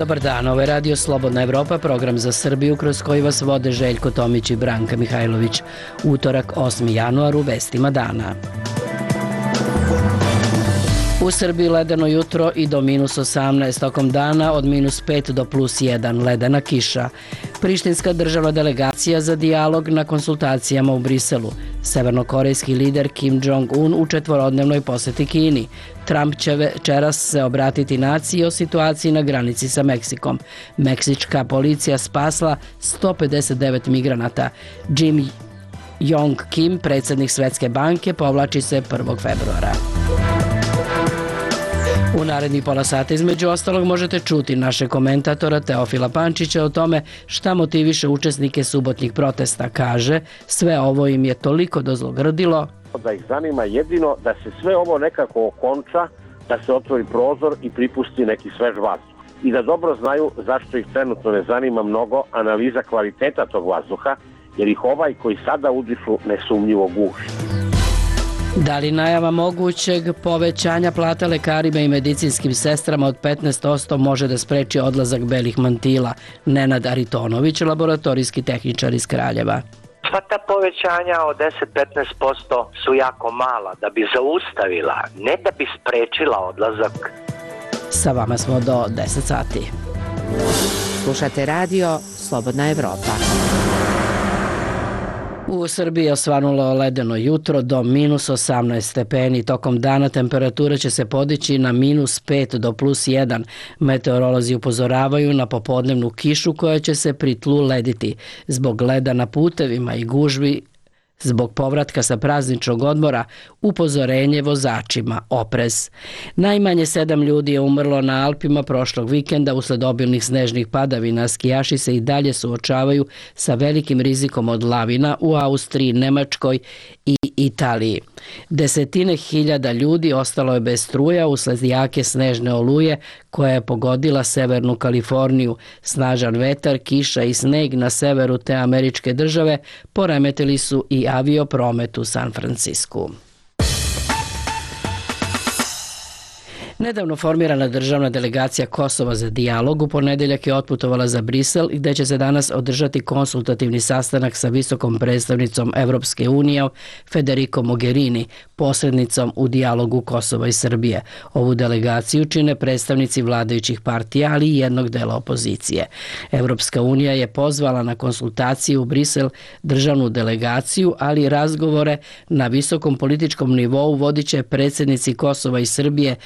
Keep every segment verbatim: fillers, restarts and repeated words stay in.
Dobar dan, ovo je Radio Slobodna Evropa, program za Srbiju kroz koji vas vode Željko Tomić i Branka Mihajlović. Utorak, osmi januar, u vestima dana. U Srbiji ledeno jutro i do minus osamnaest, tokom dana od minus pet do plus jedan, ledena kiša. Prištinska državna delegacija za dijalog na konsultacijama u Briselu. Severnokorejski lider Kim Jong-un u četvorodnevnoj poseti Kini. Trump će večeras se obratiti naciji o situaciji na granici sa Meksikom. Meksička policija spasla sto pedeset devet migranata. Jim Yong Kim, predsjednik Svetske banke, povlači se prvog februara. U narednih pola sata između ostalog možete čuti naše komentatora Teofila Pančića o tome šta motiviše učesnike subotnjih protesta. Kaže, sve ovo im je toliko dozlogrdilo da ih zanima jedino da se sve ovo nekako okonča, da se otvori prozor i pripusti neki svež vazduh. I da dobro znaju zašto ih trenutno ne zanima mnogo analiza kvaliteta tog vazduha, jer ih ovaj koji sada udišu nesumnjivo guši. Da li najava mogućeg povećanja plata lekarima i medicinskim sestrama od petnaest posto može da spreči odlazak belih mantila? Nenad Aritonović, laboratorijski tehničar iz Kraljeva. Sva ta povećanja od deset do petnaest posto su jako mala da bi zaustavila, ne da bi sprečila odlazak. Sa vama smo do deset sati. Slušate radio Slobodna Evropa. U Srbiji je osvanulo ledeno jutro do minus osamnaest stepeni. Tokom dana temperatura će se podići na minus pet do plus jedan. Meteorolozi upozoravaju na popodnevnu kišu koja će se pri tlu lediti. Zbog leda na putevima i gužvi zbog povratka sa prazničnog odmora, upozorenje vozačima, oprez. Najmanje sedam ljudi je umrlo na Alpima prošlog vikenda usled obilnih snežnih padavina. Skijaši se i dalje suočavaju sa velikim rizikom od lavina u Austriji, Nemačkoj i Italiji. Desetine hiljada ljudi ostalo je bez struja usled jake snežne oluje koja je pogodila severnu Kaliforniju. Snažan vetar, kiša i sneg na severu te američke države poremetili su i aviopromet u San Francisku. Nedavno formirana državna delegacija Kosova za dijalog u ponedeljak je otputovala za Brisel, gde će se danas održati konsultativni sastanak sa visokom predstavnicom Evropske unije Federico Mogherini, posrednicom u dijalogu Kosova i Srbije. Ovu delegaciju čine predstavnici vladajućih partija, ali i jednog dela opozicije. Evropska unija je pozvala na konsultaciju u Brisel državnu delegaciju, ali i razgovore na visokom političkom nivou vodiće predsjednici Kosova i Srbije,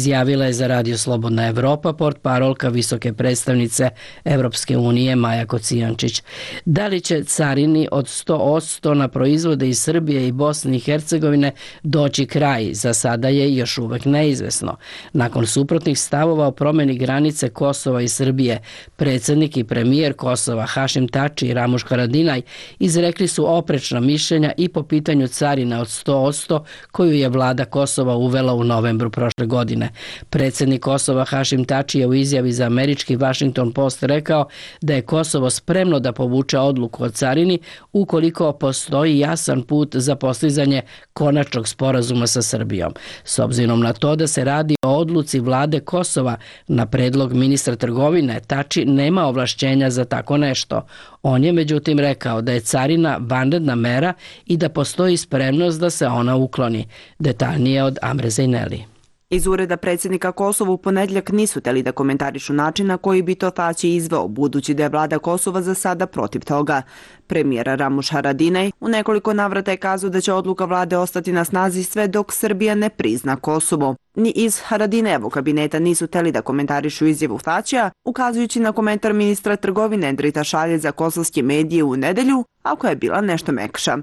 izjavila je za Radio Slobodna Evropa portparolka visoke predstavnice Evropske unije Maja Kocijančić. Da li će carini od sto posto na proizvode iz Srbije i Bosne i Hercegovine doći kraj, za sada je još uvek neizvesno. Nakon suprotnih stavova o promjeni granice Kosova i Srbije, predsjednik i premijer Kosova Hašim Tači i Ramuš Haradinaj izrekli su oprečna mišljenja i po pitanju carina od sto posto koju je vlada Kosova uvela u novembru prošle godine. Predsjednik Kosova Hašim Tači je u izjavi za američki Washington Post rekao da je Kosovo spremno da povuče odluku o carini ukoliko postoji jasan put za postizanje konačnog sporazuma sa Srbijom. S obzirom na to da se radi o odluci vlade Kosova na predlog ministra trgovine, Tači nema ovlašćenja za tako nešto. On je međutim rekao da je carina vanredna mera i da postoji spremnost da se ona ukloni. Detaljnije od Amre Zejneli. Iz ureda predsjednika Kosova u ponedjeljak nisu teli da komentarišu način na koji bi to Tači izveo, budući da je vlada Kosova za sada protiv toga. Premijer Ramuš Haradinaj u nekoliko navrata je kazao da će odluka vlade ostati na snazi sve dok Srbija ne prizna Kosovo. Ni iz Haradinajevog kabineta nisu teli da komentarišu izjavu Tačija, ukazujući na komentar ministra trgovine Endrita Šalje za kosovske medije u nedelju, a koja je bila nešto mekša.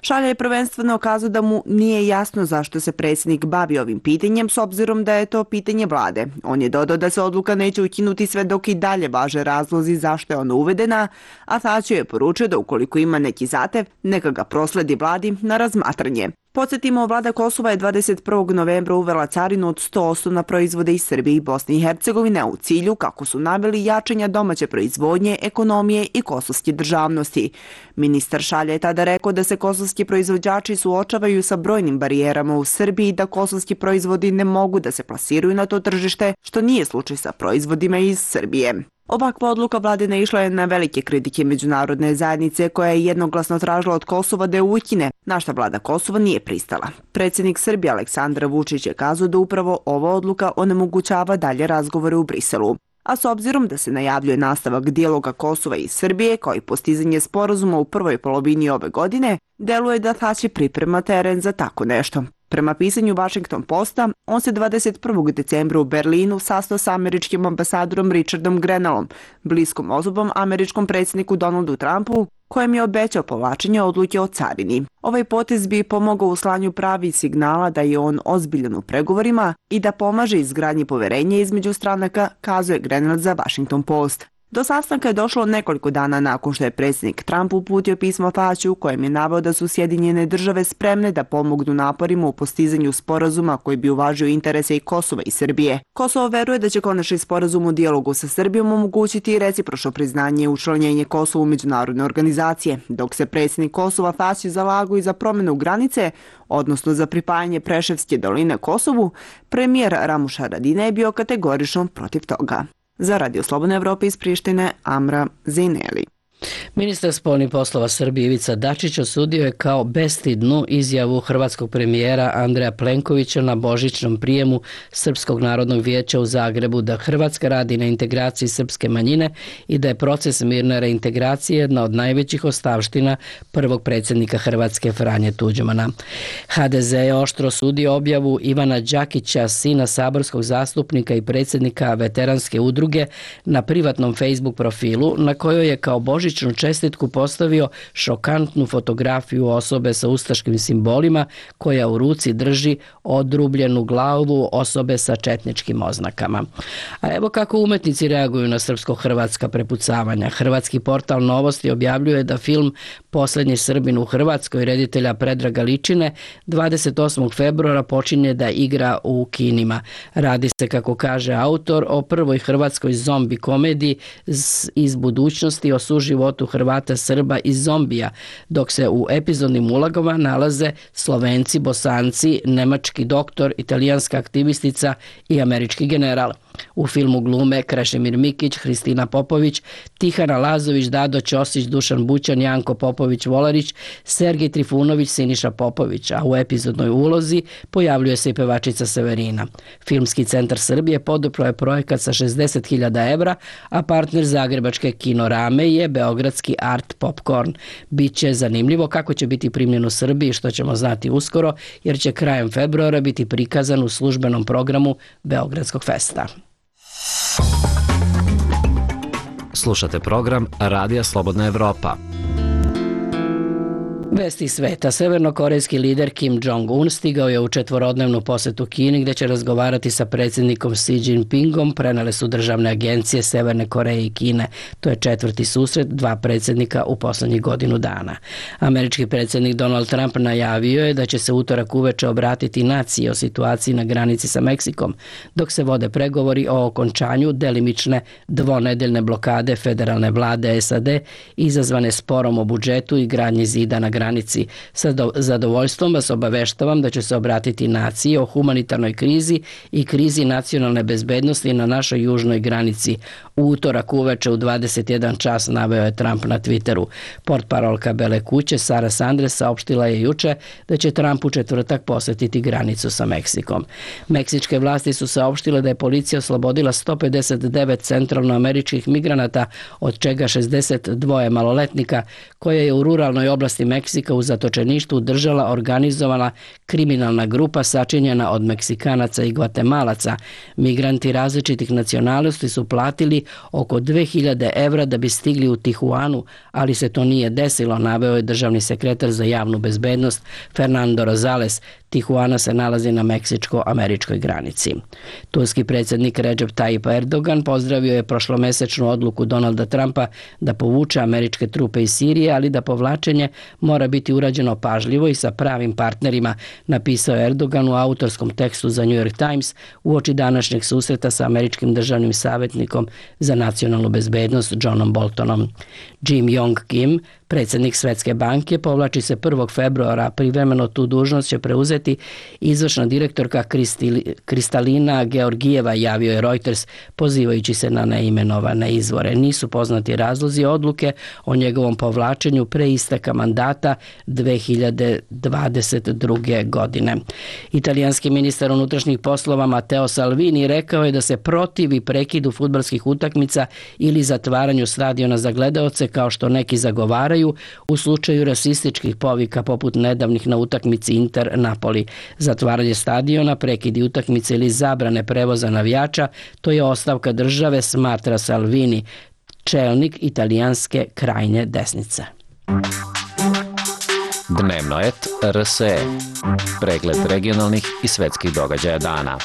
Šalje je prvenstveno kazao da mu nije jasno zašto se predsjednik bavi ovim pitanjem, s obzirom da je to pitanje vlade. On je dodao da se odluka neće ukinuti sve dok i dalje važe razlozi zašto je ona uvedena, a Tačio je poručio da ukoliko ima neki zatev, neka ga prosledi vladi na razmatranje. Podsjetimo, vlada Kosova je dvadeset prvog novembra uvela carinu od sto posto na proizvode iz Srbije i Bosne i Hercegovine u cilju, kako su naveli, jačanja domaće proizvodnje, ekonomije i kosovske državnosti. Ministar Šalja je tada rekao da se kosovski proizvođači suočavaju sa brojnim barijerama u Srbiji i da kosovski proizvodi ne mogu da se plasiraju na to tržište, što nije slučaj sa proizvodima iz Srbije. Ovakva odluka vlade naišla je na velike kritike međunarodne zajednice, koja je jednoglasno tražila od Kosova da je ukine, na šta vlada Kosova nije pristala. Predsjednik Srbije Aleksandar Vučić je kazao da upravo ova odluka onemogućava dalje razgovore u Briselu. A s obzirom da se najavljuje nastavak dijaloga Kosova i Srbije, kao i postizanje sporazuma u prvoj polovini ove godine, deluje da Thaci priprema teren za tako nešto. Prema pisanju Washington Posta, on se dvadeset prvog decembra u Berlinu sastao sa američkim ambasadorom Richardom Grenellom, bliskom osobom američkom predsjedniku Donaldu Trumpu, kojem je obećao povlačenje odluke o carini. Ovaj potez bi pomogao u slanju pravi signala da je on ozbiljan u pregovorima i da pomaže izgradnji poverenja između stranaka, kazuje Grenell za Washington Post. Do sastanka je došlo nekoliko dana nakon što je predsjednik Trump uputio pismo Thaciu, u kojem je naveo da su Sjedinjene države spremne da pomognu naporima u postizanju sporazuma koji bi uvažio interese i Kosova i Srbije. Kosovo veruje da će konačni sporazum u dijalogu sa Srbijom omogućiti recipročno priznanje i učlanjenje Kosova u međunarodne organizacije, dok se predsjednik Kosova Thaci zalagao i za promjenu granice, odnosno za pripajanje Preševske doline Kosovu, premijer Ramuš Haradinaj je bio kategorično protiv toga. Za Radio Slobodne Evrope iz Prištine, Amra Zineli. Ministar spoljnih poslova Srbije Ivica Dačić osudio je kao bestidnu izjavu hrvatskog premijera Andreja Plenkovića na božićnom prijemu Srpskog narodnog vijeća u Zagrebu da Hrvatska radi na integraciji srpske manjine i da je proces mirne reintegracije jedna od najvećih ostavština prvog predsjednika Hrvatske Franje Tuđmana. ha de ze je oštro osudio objavu Ivana Đakića, sina saborskog zastupnika i predsjednika veteranske udruge, na privatnom Facebook profilu na kojoj je kao božićnu čestitku postavio šokantnu fotografiju osobe sa ustaškim simbolima koja u ruci drži odrubljenu glavu osobe sa četničkim oznakama. A evo kako umetnici reaguju na srpsko-hrvatska prepucavanja. Hrvatski portal Novosti objavljuje da film Poslednji Srbin u Hrvatskoj reditelja Predraga Ličine dvadeset osmog februara počinje da igra u kinima. Radi se, kako kaže autor, o prvoj hrvatskoj zombi komediji iz budućnosti o suživotu Hrvata, Srba i zombija, dok se u epizodnim ulogama nalaze Slovenci, Bosanci, nemački doktor, italijanska aktivistica i američki general. U filmu glume Krešimir Mikić, Hristina Popović, Tihana Lazović, Dado Ćosić, Dušan Bućan, Janko Popović-Volarić, Sergej Trifunović, Siniša Popović, a u epizodnoj ulozi pojavljuje se i pevačica Severina. Filmski centar Srbije podupro je projekat sa šezdeset hiljada evra, a partner zagrebačke Kinorame je beogradski Art Popcorn. Biće zanimljivo kako će biti primljen u Srbiji, što ćemo znati uskoro, jer će krajem februara biti prikazan u službenom programu Beogradskog festa. Slušate program Radija Slobodna Evropa. Vesti sveta. Severnokorejski lider Kim Jong-un stigao je u četvorodnevnu posetu Kini, gdje će razgovarati sa predsjednikom Xi Jinpingom, prenele su državne agencije Severne Koreje i Kine. To je četvrti susret dva predsjednika u posljednjih godinu dana. Američki predsjednik Donald Trump najavio je da će se utorak uveče obratiti naciji o situaciji na granici sa Meksikom, dok se vode pregovori o okončanju delimične dvonedeljne blokade federalne vlade es a de izazvane sporom o budžetu i gradnji zida na granici. Sa zadovoljstvom vas obaveštavam da će se obratiti naciji o humanitarnoj krizi i krizi nacionalne bezbednosti na našoj južnoj granici. U utorak uveče u dvadeset jedan čas, naveo je Trump na Twitteru. Portparolka Bele kuće Sara Sanders saopštila je juče da će Trump u četvrtak posetiti granicu sa Meksikom. Meksičke vlasti su saopštile da je policija oslobodila sto pedeset devet centralnoameričkih migranata, od čega šezdeset dva maloletnika, koje je u ruralnoj oblasti Meksika u zatočeništvu držala organizovana kriminalna grupa sačinjena od Meksikanaca i Gvatemalaca. Migranti različitih nacionalnosti su platili oko dve hiljade evra da bi stigli u Tijuanu, ali se to nije desilo, naveo je državni sekretar za javnu bezbednost Fernando Rosales. Tijuana se nalazi na meksičko-američkoj granici. Turski predsjednik Recep Tayyip Erdogan pozdravio je prošlomesečnu odluku Donalda Trumpa da povuče američke trupe iz Sirije, ali da povlačenje mora biti urađeno pažljivo i sa pravim partnerima, napisao je Erdogan u autorskom tekstu za New York Times uoči današnjeg susreta sa američkim državnim savjetnikom za nacionalnu bezbednost Johnom Boltonom. Jim Yong Kim, predsjednik Svjetske banke, povlači se prvog februara, privremeno tu dužnost će preuzeti izvršna direktorka Kristalina Georgijeva, javio je Reuters pozivajući se na neimenovane izvore. Nisu poznati razlozi odluke o njegovom povlačenju pre isteka mandata dve hiljade dvadeset druge. godine. Italijanski ministar unutrašnjih poslova Matteo Salvini rekao je da se protivi prekidu fudbalskih utakmica ili zatvaranju stadiona za gledaoce kao što neki zagovaraju u slučaju rasističkih povika poput nedavnih na utakmici Inter Napoli. Zatvaranje stadiona, prekidi utakmice ili zabrane prevoza navijača, to je ostavka države, smatra Salvini, čelnik italijanske krajnje desnice. Dnevno et R S E. Pregled regionalnih i svetskih događaja dana.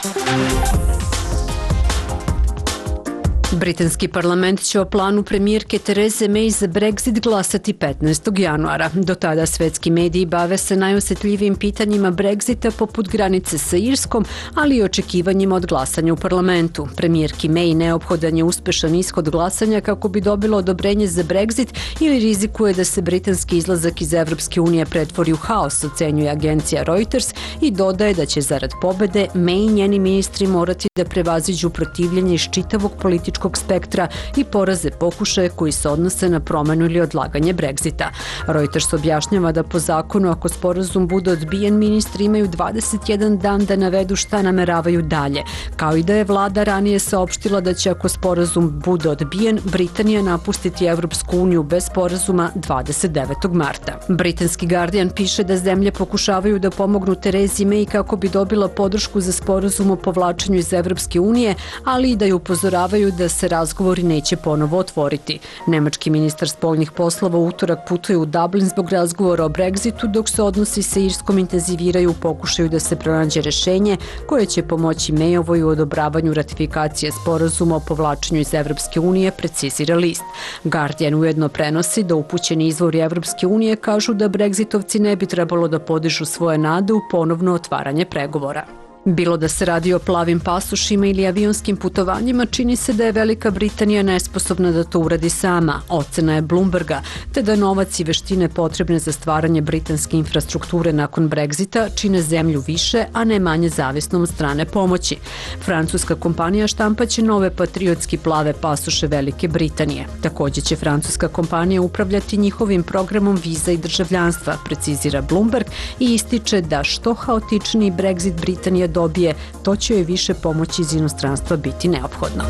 Britanski parlament će o planu premijerke Therese May za Brexit glasati petnaestog januara. Do tada svetski mediji bave se najosjetljivijim pitanjima Brexita poput granice sa Irskom, ali i očekivanjima od glasanja u parlamentu. Premijerki May neophodan je uspešan ishod glasanja kako bi dobilo odobrenje za Brexit ili rizikuje da se britanski izlazak iz Evropske unije pretvori u haos, ocenjuje agencija Reuters i dodaje da će zarad pobede May i njeni ministri morati da prevaziđu protivljenje iz čitavog političkog spektra i poraze pokušaje koji se odnose na promenu ili odlaganje Brexita. Reuters objašnjava da po zakonu ako sporazum bude odbijen, ministri imaju dvadeset jedan dan da navedu šta nameravaju dalje, kao i da je vlada ranije saopštila da će ako sporazum bude odbijen, Britanija napustiti Evropsku uniju bez sporazuma dvadeset devetog marta. Britanski Guardian piše da zemlje pokušavaju da pomognu Theresi May kako bi dobila podršku za sporazum o povlačenju iz Evropske unije, ali i da ju upozoravaju da se razgovori neće ponovo otvoriti. Nemački ministar spoljnih poslova u utorak putuje u Dublin zbog razgovora o Brexitu, dok se odnosi sa Irskom intenziviraju u pokušaju da se pronađe rešenje koje će pomoći Mayovoj u odobravanju ratifikacije sporazuma o povlačenju iz Evropske unije, precizira list. Guardian ujedno prenosi da upućeni izvori Evropske unije kažu da Brexitovci ne bi trebalo da podižu svoje nade u ponovno otvaranje pregovora. Bilo da se radi o plavim pasošima ili avionskim putovanjima, čini se da je Velika Britanija nesposobna da to uradi sama, ocena je Bloomberga, te da novac i veštine potrebne za stvaranje britanske infrastrukture nakon Brexita čine zemlju više, a ne manje zavisnom od strane pomoći. Francuska kompanija štampaće nove patriotski plave pasoše Velike Britanije. Također će francuska kompanija upravljati njihovim programom viza i državljanstva, precizira Bloomberg i ističe da što haotičniji Brexit Britanija dobije, to će joj više pomoći iz inostranstva biti neophodno.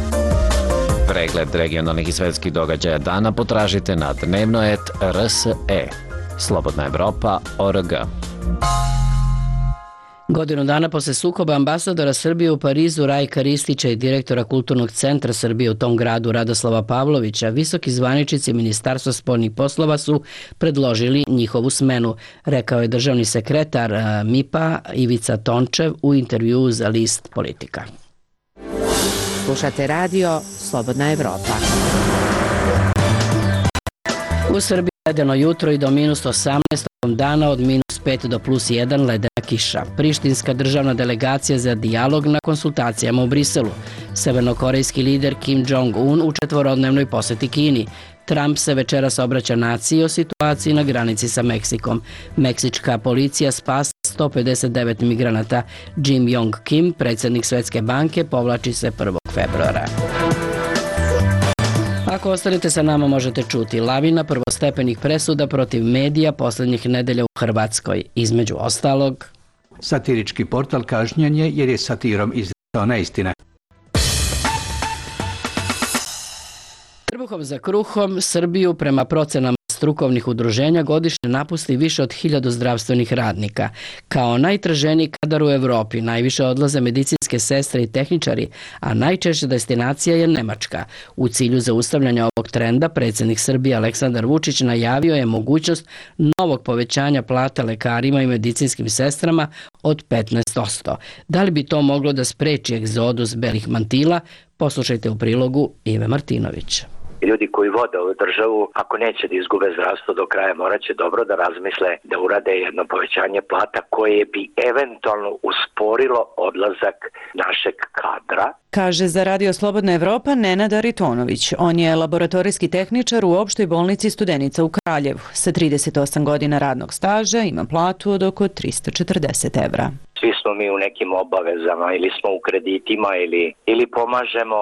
Pregled regionalnih i svetskih događaja dana potražite na dnevno et R S E. Slobodna Evropa точка org. Godinu dana posle sukoba ambasadora Srbije u Parizu Rajka Ristića i direktora Kulturnog centra Srbije u tom gradu Radoslava Pavlovića, visoki zvaničnici Ministarstva spoljnih poslova su predložili njihovu smenu, rekao je državni sekretar M I P-a Ivica Tončev u intervjuu za list Politika. Slušate radio Slobodna Evropa. U Srbiji ledeno jutro i do minus osamnaest dana, od minus pet do plus jedan ledena kiša. Prištinska državna delegacija za dijalog na konsultacijama u Briselu. Severnokorejski lider Kim Jong-un u četvorodnevnoj poseti Kini. Trump se večeras obraća naciji o situaciji na granici sa Meksikom. Meksička policija spasa sto pedeset devet migranata. Jim Yong Kim, predsjednik Svjetske banke, povlači se prvog februara. Ako ostanete sa nama možete čuti lavina prvostepenih presuda protiv medija posljednjih nedelja u Hrvatskoj. Između ostalog, satirički portal kažnjen je jer je satirom izrekao neistine. Trbuhom za kruhom Srbiju prema procenama strukovnih udruženja godišnje napusti više od hiljadu zdravstvenih radnika. Kao najtraženiji kadar u Evropi najviše odlaze medicinske sestre i tehničari, a najčešća destinacija je Nemačka. U cilju zaustavljanja ovog trenda predsjednik Srbije Aleksandar Vučić najavio je mogućnost novog povećanja plata lekarima i medicinskim sestrama od petnaest posto. Da li bi to moglo da spreči egzodus belih mantila? Poslušajte u prilogu Ive Martinović. Ljudi koji vode ovu državu, ako neće da izgube zdravstvo do kraja, morat će dobro da razmisle da urade jedno povećanje plata koje bi eventualno usporilo odlazak našeg kadra. Kaže za Radio Slobodna Evropa Nenad Aritonović. On je laboratorijski tehničar u opštoj bolnici Studenica u Kraljevu. Sa trideset osam godina radnog staža ima platu od oko tristo četrdeset evra. Svi smo mi u nekim obavezama ili smo u kreditima ili, ili pomažemo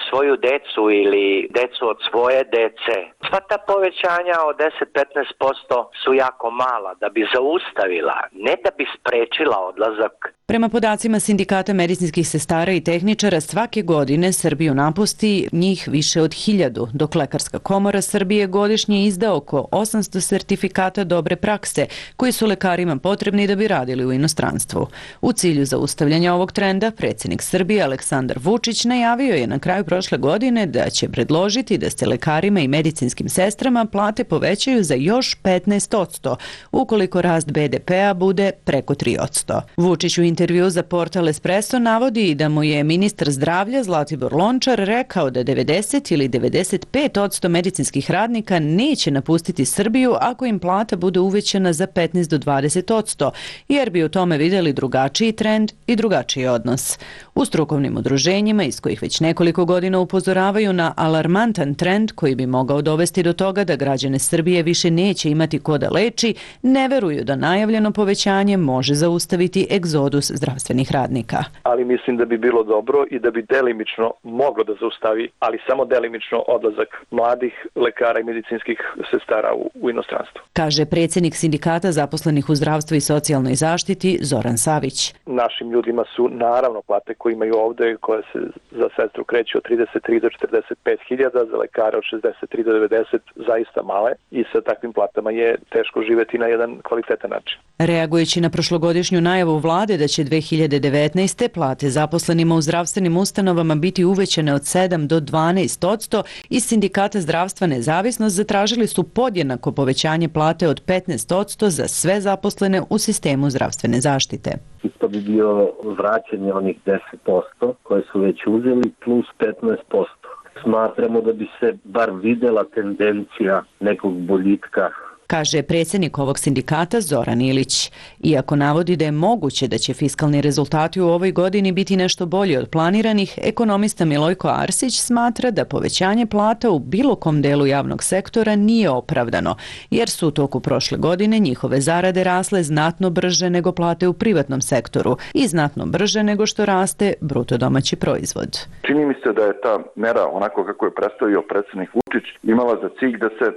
svoju decu ili decu od svoje dece. Sva ta povećanja od deset do petnaest posto su jako mala da bi zaustavila, ne da bi sprečila odlazak. Prema podacima Sindikata medicinskih sestara i tehničara, svake godine Srbiju napusti njih više od hiljadu, dok Lekarska komora Srbije godišnje izda oko osamsto sertifikata dobre prakse, koji su lekarima potrebni da bi radili u inostranstvu. U cilju zaustavljanja ovog trenda, predsjednik Srbije Aleksandar Vučić najavio je na kraju prošle godine da će predložiti da se lekarima i medicinskim sestrama plate povećaju za još petnaest posto, ukoliko rast be de pea bude preko tri posto. Vučić u intervju za portal Espresso navodi da mu je ministar zdravlja Zlatibor Lončar rekao da devedeset ili devedeset pet posto medicinskih radnika neće napustiti Srbiju ako im plata bude uvećana za petnaest do dvadeset posto, jer bi u tome vidjeli drugačiji trend i drugačiji odnos. U strukovnim udruženjima, iz kojih već nekoliko godina upozoravaju na alarmantan trend koji bi mogao dovesti do toga da građane Srbije više neće imati ko da leči, ne veruju da najavljeno povećanje može zaustaviti egzodus zdravstvenih radnika. Ali mislim da bi bilo dobro i da bi delimično moglo da zaustavi, ali samo delimično odlazak mladih lekara i medicinskih sestara u, u inostranstvo. Kaže predsjednik Sindikata zaposlenih u zdravstvu i socijalnoj zaštiti Zoran Savić. Našim ljudima su naravno plate koje imaju ovde, koje se za sestru kreću od trideset tri do četrdeset pet hiljada, za lekare od šezdeset tri do devedeset zaista male i sa takvim platama je teško živeti na jedan kvalitetan način. Reagujući na prošlogodišnju najavu vlade da će dve hiljade devetnaeste. plate zaposlenima u zdravstvenim ustanovama biti uvećane od sedam do dvanaest posto, iz Sindikata zdravstva Nezavisnost zatražili su podjednako povećanje plate od petnaest posto za sve zaposlene u sistemu zdravstvene zaštite. To bi bio vraćanje onih deset posto koje su već uzeli plus petnaest posto. Smatramo da bi se bar videla tendencija nekog boljitka, kaže predsjednik ovog sindikata Zoran Ilić. Iako navodi da je moguće da će fiskalni rezultati u ovoj godini biti nešto bolji od planiranih, ekonomista Milojko Arsić smatra da povećanje plata u bilo kom delu javnog sektora nije opravdano, jer su u toku prošle godine njihove zarade rasle znatno brže nego plate u privatnom sektoru i znatno brže nego što raste bruto domaći proizvod. Čini mi se da je ta mera, onako kako je predstavio predsjednik Vučić, imala za cilj da se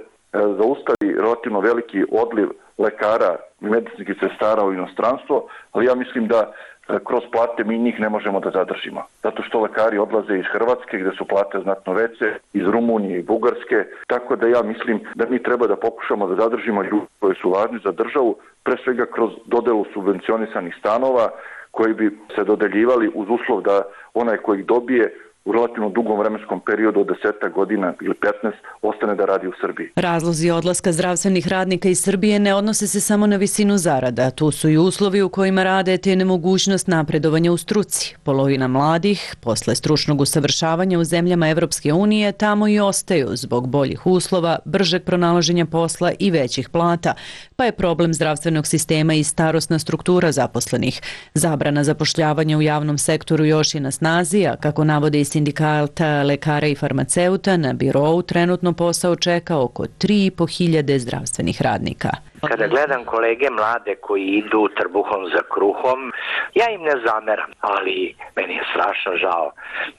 zaustavi relativno veliki odliv lekara i medicinskih sestara u inostranstvo, ali ja mislim da kroz plate mi njih ne možemo da zadržimo. Zato što lekari odlaze iz Hrvatske gdje su plate znatno veće, iz Rumunije i Bugarske, tako da ja mislim da mi treba da pokušamo da zadržimo ljude koji su važni za državu, pre svega kroz dodelu subvencionisanih stanova koji bi se dodeljivali uz uslov da onaj koji ih dobije u relativno dugom vremenskom periodu od deset godina ili petnaest ostane da radi u Srbiji. Razlozi odlaska zdravstvenih radnika iz Srbije ne odnose se samo na visinu zarada. Tu su i uslovi u kojima rade te nemogućnost napredovanja u struci. Polovina mladih, posle stručnog usavršavanja u zemljama Evropske unije, tamo i ostaju zbog boljih uslova, bržeg pronalaženja posla i većih plata, pa je problem zdravstvenog sistema i starosna struktura zaposlenih. Zabrana zapošljavanja u javnom sektoru još je na snazi, a kako navode i Sindikata lekara i farmaceuta, na birou trenutno posao čeka oko tri i po hiljade zdravstvenih radnika. Kada gledam kolege mlade koji idu trbuhom za kruhom, ja im ne zameram, ali meni je strašno žao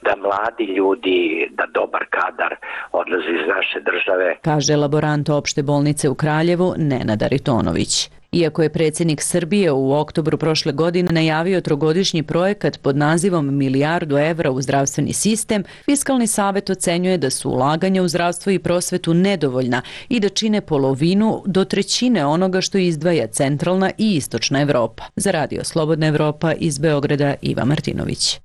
da mladi ljudi, da dobar kadar odlazi iz naše države. Kaže laborant opšte bolnice u Kraljevu Nenad Aritonović. Iako je predsjednik Srbije u oktobru prošle godine najavio trogodišnji projekat pod nazivom milijardu evra u zdravstveni sistem, Fiskalni savet ocenjuje da su ulaganja u zdravstvo i prosvetu nedovoljna i da čine polovinu do trećine onoga što izdvaja centralna i istočna Evropa. Za Radio Slobodna Evropa iz Beograda Iva Martinović.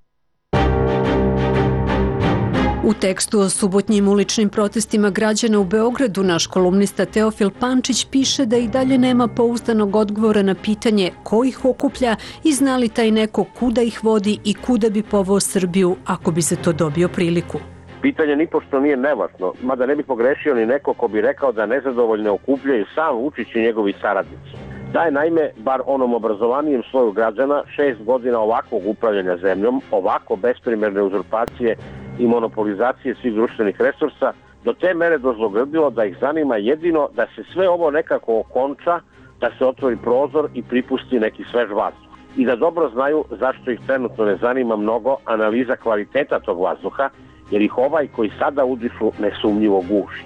U tekstu o subotnjim uličnim protestima građana u Beogradu naš kolumnista Teofil Pančić piše da i dalje nema pouzdanog odgovora na pitanje ko ih okuplja i zna li taj neko kuda ih vodi i kuda bi poveo Srbiju ako bi se to dobio priliku. Pitanje nipošto nije nevažno, mada ne bi pogrešio ni neko ko bi rekao da nezadovoljne okupljaju sam Vučić i njegovi saradnici. Da je naime, bar onom obrazovanijem sloju građana, šest godina ovakvog upravljanja zemljom, ovako besprimerne uzurpacije i monopolizacije svih društvenih resursa, do te mere dozlogrdilo da ih zanima jedino da se sve ovo nekako okonča, da se otvori prozor i pripusti neki svež vazduh. I da dobro znaju zašto ih trenutno ne zanima mnogo analiza kvaliteta tog vazduha, jer ih ovaj koji sada udišu nesumnjivo guši.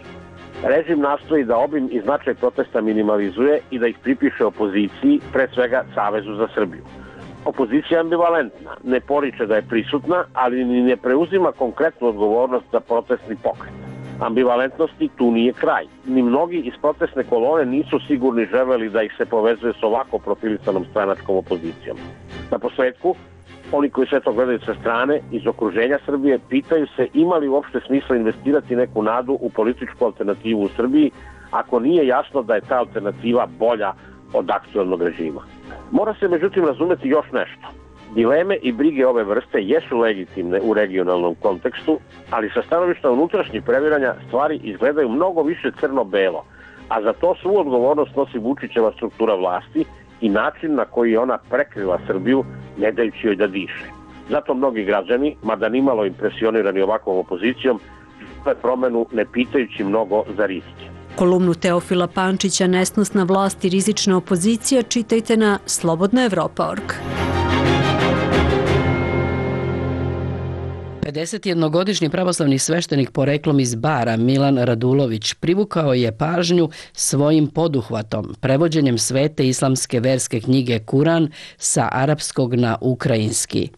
Režim nastoji da obim i značaj protesta minimalizuje i da ih pripiše opoziciji, pre svega Savezu za Srbiju. Opozicija je ambivalentna, ne poriče da je prisutna, ali ni ne preuzima konkretnu odgovornost za protestni pokret. Ambivalentnosti tu nije kraj. Ni mnogi iz protestne kolone nisu sigurni želeli da ih se povezuje s ovako profilisanom stranačkom opozicijom. Na posledku, oni koji sve to gledaju sa strane, iz okruženja Srbije, pitaju se ima li uopšte smisla investirati neku nadu u političku alternativu u Srbiji, ako nije jasno da je ta alternativa bolja od aktuelnog režima. Mora se međutim razumeti još nešto. Dileme i brige ove vrste jesu legitimne u regionalnom kontekstu, ali sa stanovišta unutrašnjih previranja stvari izgledaju mnogo više crno-belo, a za to svu odgovornost nosi Vučićeva struktura vlasti i način na koji je ona prekrila Srbiju, ne dajući joj da diše. Zato mnogi građani, mada nimalo impresionirani ovakvom opozicijom, žele promenu ne pitajući mnogo za rizike. Kolumnu Teofila Pančića Nesnosna vlast i rizična opozicija čitajte na slobodna evropa tačka org. pedesetjednogodišnji pravoslavni sveštenik poreklom iz Bara Milan Radulović privukao je pažnju svojim poduhvatom, prevođenjem svete islamske verske knjige Kuran sa arapskog na ukrajinski.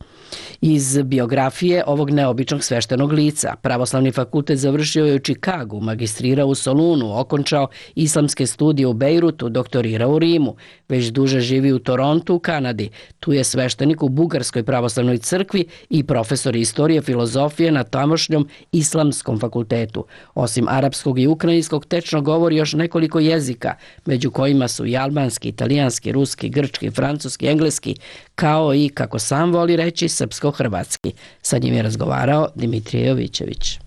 Iz biografije ovog neobičnog sveštenog lica, Pravoslavni fakultet završio je u Čikagu, magistrirao u Solunu, okončao islamske studije u Bejrutu, doktorirao u Rimu, već duže živi u Torontu u Kanadi. Tu je sveštenik u Bugarskoj pravoslavnoj crkvi i profesor istorije filozofije na tamošnjom islamskom fakultetu. Osim arapskog i ukrajinskog, tečno govori još nekoliko jezika, među kojima su i albanski, italijanski, ruski, grčki, francuski, engleski, kao i, kako sam voli reći, srpsko-hrvatski. Sa njim je razgovarao Dimitrije Jovićević.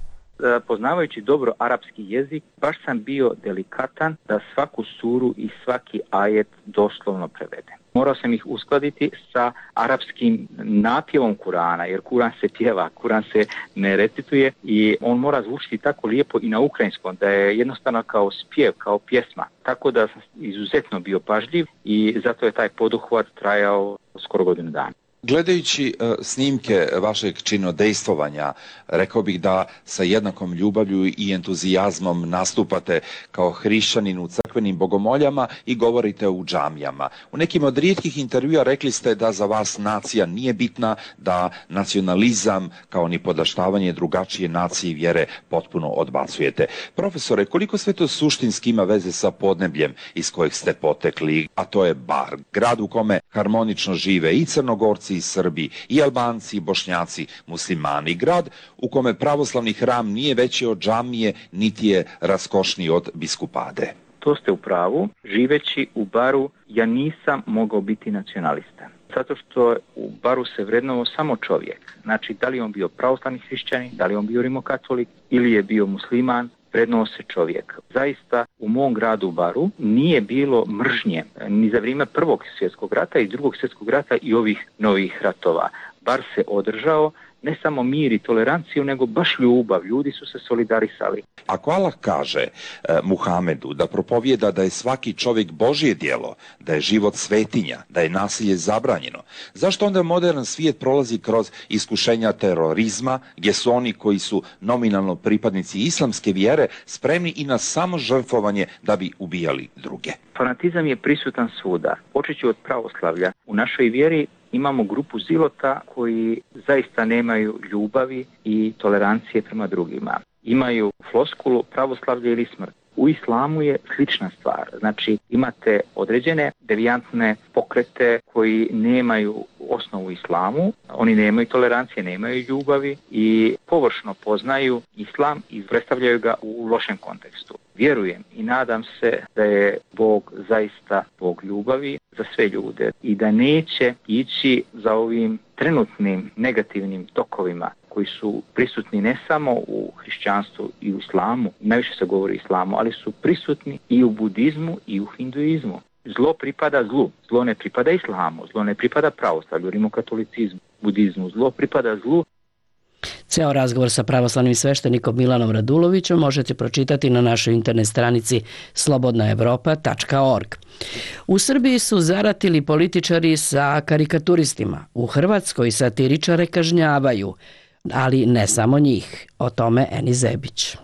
Poznavajući dobro arapski jezik, baš sam bio delikatan da svaku suru i svaki ajet doslovno prevedem. Morao sam ih uskladiti sa arapskim napjevom Kurana, jer Kuran se pjeva, Kuran se ne recituje i on mora zvučiti tako lijepo i na ukrajinskom, da je jednostavno kao spjev, kao pjesma. Tako da sam izuzetno bio pažljiv i zato je taj poduhvat trajao skoro godinu dana. Gledajući uh, snimke vašeg činodejstvovanja, rekao bih da sa jednakom ljubavlju i entuzijazmom nastupate kao hrišćanin u crkvenim bogomoljama i govorite u džamijama. U nekim od rijetkih intervjua rekli ste da za vas nacija nije bitna, da nacionalizam kao ni podaštavanje drugačije nacije i vjere potpuno odbacujete. Profesore, koliko sve to suštinski ima veze sa podnebljem iz kojeg ste potekli, a to je Bar, grad u kome harmonično žive i Crnogorci, i Srbi, i Albanci, i Bošnjaci, muslimani, grad u kome pravoslavni hram nije veći od džamije, niti je raskošniji od biskupade. To ste u pravu. Živeći u Baru, ja nisam mogao biti nacionalista. Zato što u Baru se vrednovao samo čovjek. Znači, da li on bio pravoslavni hrišćanin, da li on bio rimokatolik ili je bio musliman, vrednovao se čovjek. Zaista u mom gradu Baru nije bilo mržnje ni za vrijeme Prvog svjetskog rata i Drugog svjetskog rata i ovih novih ratova. Bar se održao ne samo mir i toleranciju, nego baš ljubav. Ljudi su se solidarisali. Ako Allah kaže eh, Muhamedu da propovijeda da je svaki čovjek Božje djelo, da je život svetinja, da je nasilje zabranjeno, zašto onda modern svijet prolazi kroz iskušenja terorizma, gdje su oni koji su nominalno pripadnici islamske vjere spremni i na samo žrtvovanje da bi ubijali druge? Fanatizam je prisutan svuda. Počet ću od pravoslavlja. U našoj vjeri imamo grupu zilota koji zaista nemaju ljubavi i tolerancije prema drugima. Imaju floskulu pravoslavlje ili smrt. U islamu je slična stvar. Znači imate određene devijantne pokrete koji nemaju osnovu islamu, oni nemaju tolerancije, nemaju ljubavi i površno poznaju islam i predstavljaju ga u lošem kontekstu. Vjerujem i nadam se da je Bog zaista Bog ljubavi za sve ljude i da neće ići za ovim trenutnim negativnim tokovima koji su prisutni ne samo u hrišćanstvu i u islamu, najviše se govori o islamu, ali su prisutni i u budizmu i u hinduizmu. Zlo pripada zlu, zlo ne pripada islamu, zlo ne pripada pravoslavlju, rimokatolicizmu, budizmu, zlo pripada zlu. Ceo razgovor sa pravoslavnim sveštenikom Milanom Radulovićem možete pročitati na našoj internet stranici slobodna evropa tačka org. U Srbiji su zaratili političari sa karikaturistima. U Hrvatskoj satiričare kažnjavaju, ali ne samo njih. O tome Eni Zebić.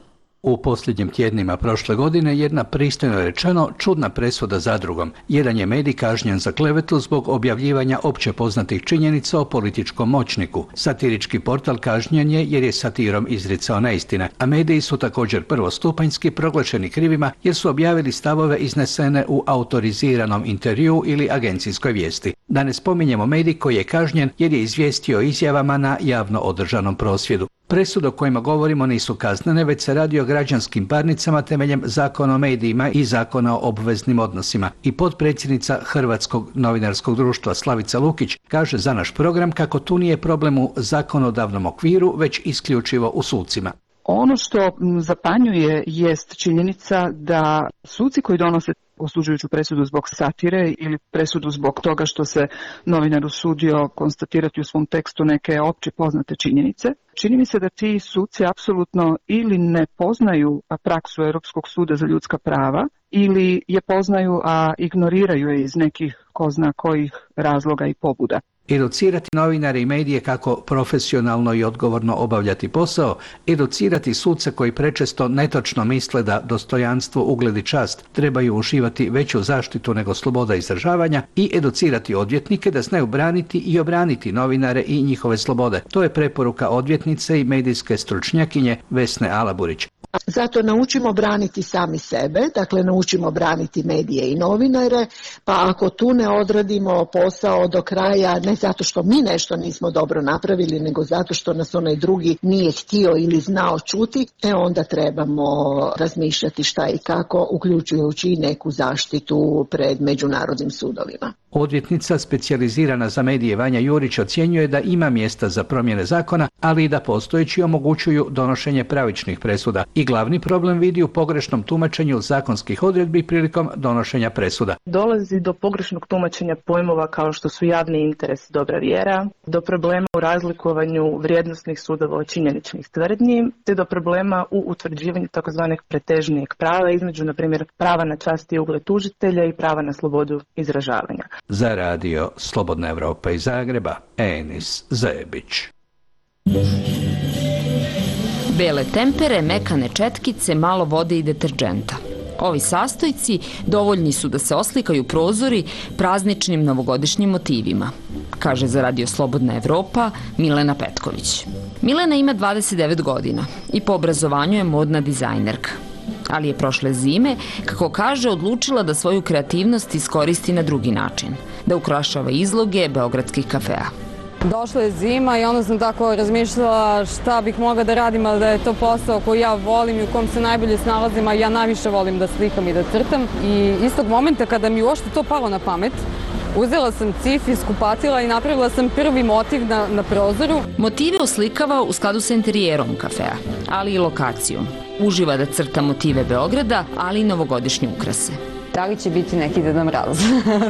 U posljednjim tjednima prošle godine jedna pristojno rečeno čudna presuda zadrugom. Jedan je medij kažnjen za klevetu zbog objavljivanja opće poznatih činjenica o političkom moćniku. Satirički portal kažnjen je jer je satirom izricao neistine, a mediji su također prvostupanjski proglašeni krivima jer su objavili stavove iznesene u autoriziranom intervjuu ili agencijskoj vijesti. Da ne spominjemo medij koji je kažnjen jer je izvijestio o izjavama na javno održanom prosvjedu. Presude o kojima govorimo nisu kaznene, već se radi o građanskim parnicama temeljem Zakona o medijima i Zakona o obveznim odnosima. I potpredsjednica Hrvatskog novinarskog društva Slavica Lukić kaže za naš program kako tu nije problem u zakonodavnom okviru, već isključivo u sucima. Ono što zapanjuje jest činjenica da suci koji donose osuđujuću presudu zbog satire ili presudu zbog toga što se novinar usudio konstatirati u svom tekstu neke opće poznate činjenice, čini mi se da ti suci apsolutno ili ne poznaju praksu Europskog suda za ljudska prava ili je poznaju, a ignoriraju je iz nekih ko zna kojih razloga i pobuda. Educirati novinare i medije kako profesionalno i odgovorno obavljati posao, educirati suce koji prečesto netočno misle da dostojanstvo, ugled i čast trebaju uživati veću zaštitu nego sloboda izražavanja i educirati odvjetnike da znaju braniti i obraniti novinare i njihove slobode. To je preporuka odvjetnice i medijske stručnjakinje Vesne Alaburić. Zato naučimo braniti sami sebe, dakle naučimo braniti medije i novinare, pa ako tu ne odradimo posao do kraja, ne zato što mi nešto nismo dobro napravili, nego zato što nas onaj drugi nije htio ili znao čuti, e onda trebamo razmišljati šta i kako, uključujući i neku zaštitu pred međunarodnim sudovima. Odvjetnica specijalizirana za medije Vanja Jurić ocjenjuje da ima mjesta za promjene zakona, ali i da postojeći omogućuju donošenje pravičnih presuda. I glavni problem vidi u pogrešnom tumačenju zakonskih odredbi prilikom donošenja presuda. Dolazi do pogrešnog tumačenja pojmova kao što su javni interes i dobra vjera, do problema u razlikovanju vrijednosnih sudova od činjeničnih tvrdnji, te do problema u utvrđivanju takozvanih pretežnijeg prava između, na primjer, prava na čast i ugled tužitelja i prava na slobodu izražavanja. Za radio Slobodna Evropa iz Zagreba, Enis Zebić. Bele tempere, mekane četkice, malo vode i deterdženta. Ovi sastojci dovoljni su da se oslikaju prozori prazničnim novogodišnjim motivima, kaže za radio Slobodna Evropa Milena Petković. Milena ima dvadeset devet godina i po obrazovanju je modna dizajnerka. Ali je prošle zime, kako kaže, odlučila da svoju kreativnost iskoristi na drugi način, da ukrašava izloge beogradskih kafea. Došla je zima i onda sam tako razmišljala šta bih mogla da radim, ali da je to posao koji ja volim i u kom se najbolje snalazim, a ja najviše volim da slikam i da crtam. I istog momenta kada mi uopšte to palo na pamet, uzela sam cif iz kupatila i napravila sam prvi motiv na, na prozoru. Motive oslikava u skladu sa interijerom kafea, ali i lokacijom. Uživa da crta motive Beograda, ali i novogodišnje ukrase. Da li će biti neki Deda Mraz?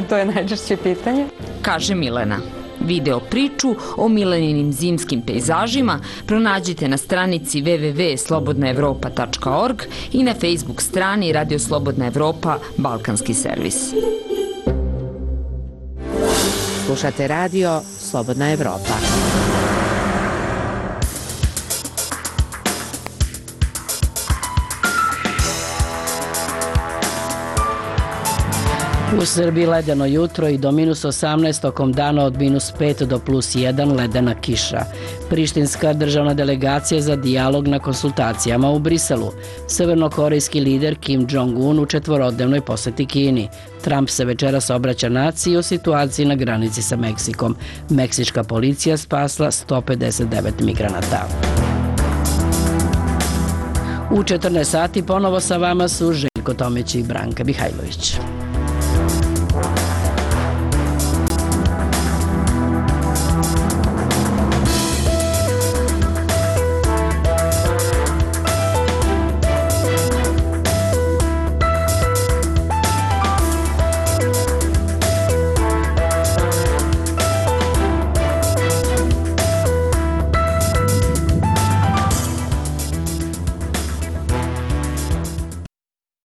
To je najčešće pitanje. Kaže Milena. Video priču o Mileninim zimskim pejzažima pronađite na stranici w w w tačka slobodna evropa tačka org i na Facebook strani Radio Slobodna Evropa Balkanski servis. Slušate radio Slobodna Evropa. U Srbiji ledeno jutro i do minus osamnaest, tokom dana od minus pet do plus jedan ledena kiša. Prištinska državna delegacija za dijalog na konsultacijama u Briselu. Severnokorejski lider Kim Jong-un u četvorodnevnoj poseti Kini. Trump se večeras obraća naciji o situaciji na granici sa Meksikom. Meksička policija spasla sto pedeset devet migranata. U četrnaest sati ponovo sa vama su Željko Tomić i Branka Mihajlović.